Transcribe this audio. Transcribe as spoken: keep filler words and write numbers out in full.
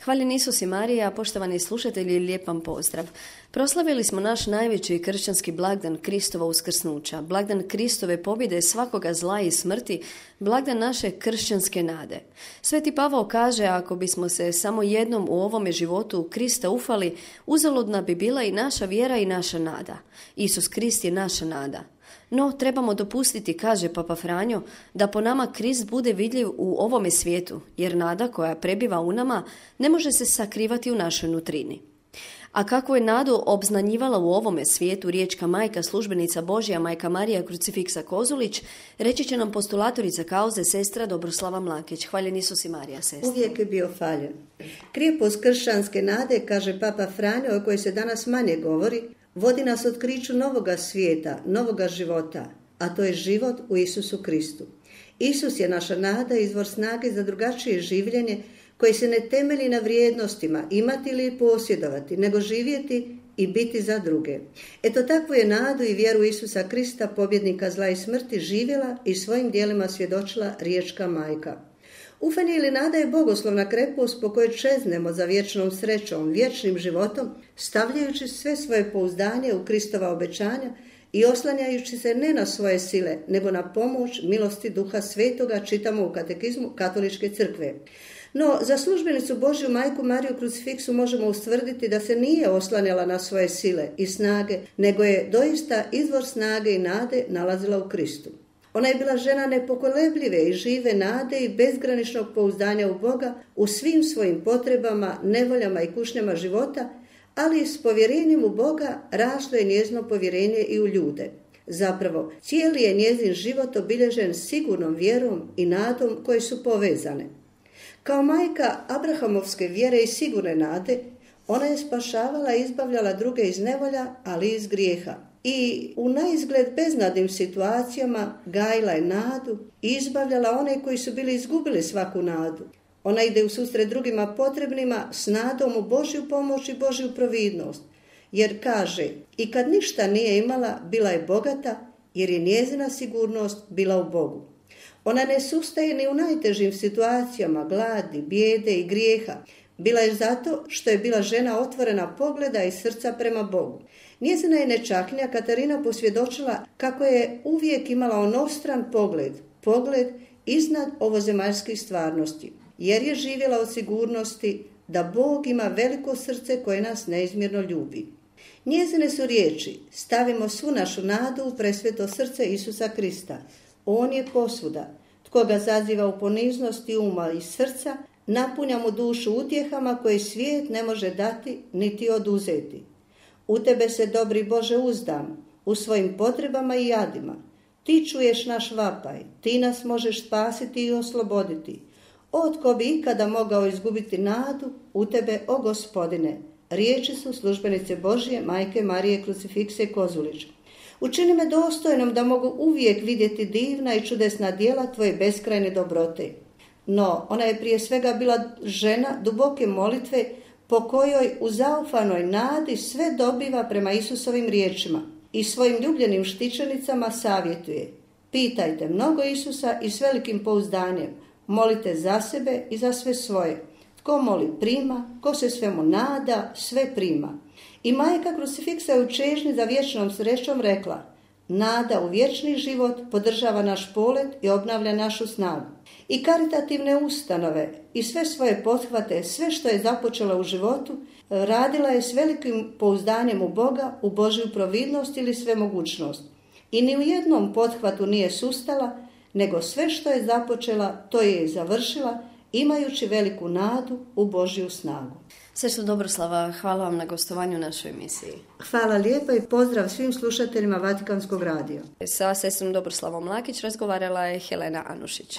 Hvaljen Isus i Marija, poštovani slušatelji, lijep vam pozdrav. Proslavili smo naš najveći kršćanski blagdan Kristova uskrsnuća, blagdan Kristove pobjede svakoga zla i smrti, blagdan naše kršćanske nade. Sveti Pavao kaže, ako bismo se samo jednom u ovome životu Krista ufali, uzaludna bi bila i naša vjera i naša nada. Isus Krist je naša nada. No, trebamo dopustiti, kaže Papa Franjo, da po nama Krist bude vidljiv u ovome svijetu, jer nada koja prebiva u nama ne može se sakrivati u našoj nutrini. A kako je nadu obznanjivala u ovome svijetu riječka majka, službenica Božja, majka Marija Krucifiksa Kozulić, reći će nam postulatorica kauze, sestra Dobroslava Mlakić. Hvaljen Isus i Marija, sestra. Uvijek je bio faljen. Krijepost kršćanske nade, kaže Papa Franjo, o kojoj se danas manje govori, vodi nas otkriću novoga svijeta, novoga života, a to je život u Isusu Kristu. Isus je naša nada, izvor snage za drugačije življenje koje se ne temelji na vrijednostima imati ili posjedovati, nego živjeti i biti za druge. Eto, takvu je nadu i vjeru Isusa Krista, pobjednika zla i smrti, živjela i svojim djelima svjedočila riječka majka. Ufanje ili nada je bogoslovna krepost po kojoj čeznemo za vječnom srećom, vječnim životom, stavljajući sve svoje pouzdanje u Kristova obećanja i oslanjajući se ne na svoje sile, nego na pomoć milosti Duha Svetoga, čitamo u katekizmu Katoličke crkve. No, za službenicu Božju majku Mariju Krucifiksu možemo ustvrditi da se nije oslanjala na svoje sile i snage, nego je doista izvor snage i nade nalazila u Kristu. Ona je bila žena nepokolebljive i žive nade i bezgraničnog pouzdanja u Boga u svim svojim potrebama, nevoljama i kušnjama života, ali s povjerenjem u Boga raslo je njezino povjerenje i u ljude. Zapravo, cijeli je njezin život obilježen sigurnom vjerom i nadom koje su povezane. Kao majka Abrahamovske vjere i sigurne nade, ona je spašavala i izbavljala druge iz nevolja, ali i iz grijeha. I u naizgled beznadnim situacijama gajila je nadu i izbavljala one koji su bili izgubili svaku nadu. Ona ide u susret drugima potrebnima s nadom u Božju pomoć i Božju providnost. Jer kaže, i kad ništa nije imala, bila je bogata, jer je njezina sigurnost bila u Bogu. Ona ne sustaje ni u najtežim situacijama gladi, bijede i grijeha. Bila je zato što je bila žena otvorena pogleda i srca prema Bogu. Njezina je nečakinja Katarina posvjedočila kako je uvijek imala onostran pogled, pogled iznad ovozemaljskih stvarnosti, jer je živjela od sigurnosti da Bog ima veliko srce koje nas neizmjerno ljubi. Njezine su riječi, stavimo svu našu nadu u presveto srce Isusa Krista. On je posvuda. Tko ga zaziva u poniznosti uma i srca, napunja mu dušu utjehama koje svijet ne može dati niti oduzeti. U tebe se, dobri Bože, uzdam, u svojim potrebama i jadima. Ti čuješ naš vapaj, ti nas možeš spasiti i osloboditi. O, tko bi ikada mogao izgubiti nadu u tebe, o Gospodine? Riječi su službenice Božje, majke Marije Krucifikse Kozulić. Učini me dostojnom da mogu uvijek vidjeti divna i čudesna djela tvoje beskrajne dobrote. No, ona je prije svega bila žena duboke molitve po kojoj u zaufanoj nadi sve dobiva prema Isusovim riječima i svojim ljubljenim štićenicama savjetuje. Pitajte mnogo Isusa i s velikim pouzdanjem. Molite za sebe i za sve svoje. Tko moli prima, ko se svemu nada, sve prima. I majka Krucifiksa je u čežnji za vječnom srećom rekla, nada u vječni život podržava naš polet i obnavlja našu snagu. I karitativne ustanove i sve svoje pothvate, sve što je započela u životu, radila je s velikim pouzdanjem u Boga, u Božju providnost ili svemogućnost. I ni u jednom pothvatu nije sustala, nego sve što je započela, to je i završila, imajući veliku nadu u Božju snagu. Sestra Dobroslava, hvala vam na gostovanju u našoj emisiji. Hvala lijepa i pozdrav svim slušateljima Vatikanskog radija. Sa sestrom Dobroslavom Mlakić razgovarala je Helena Anušić.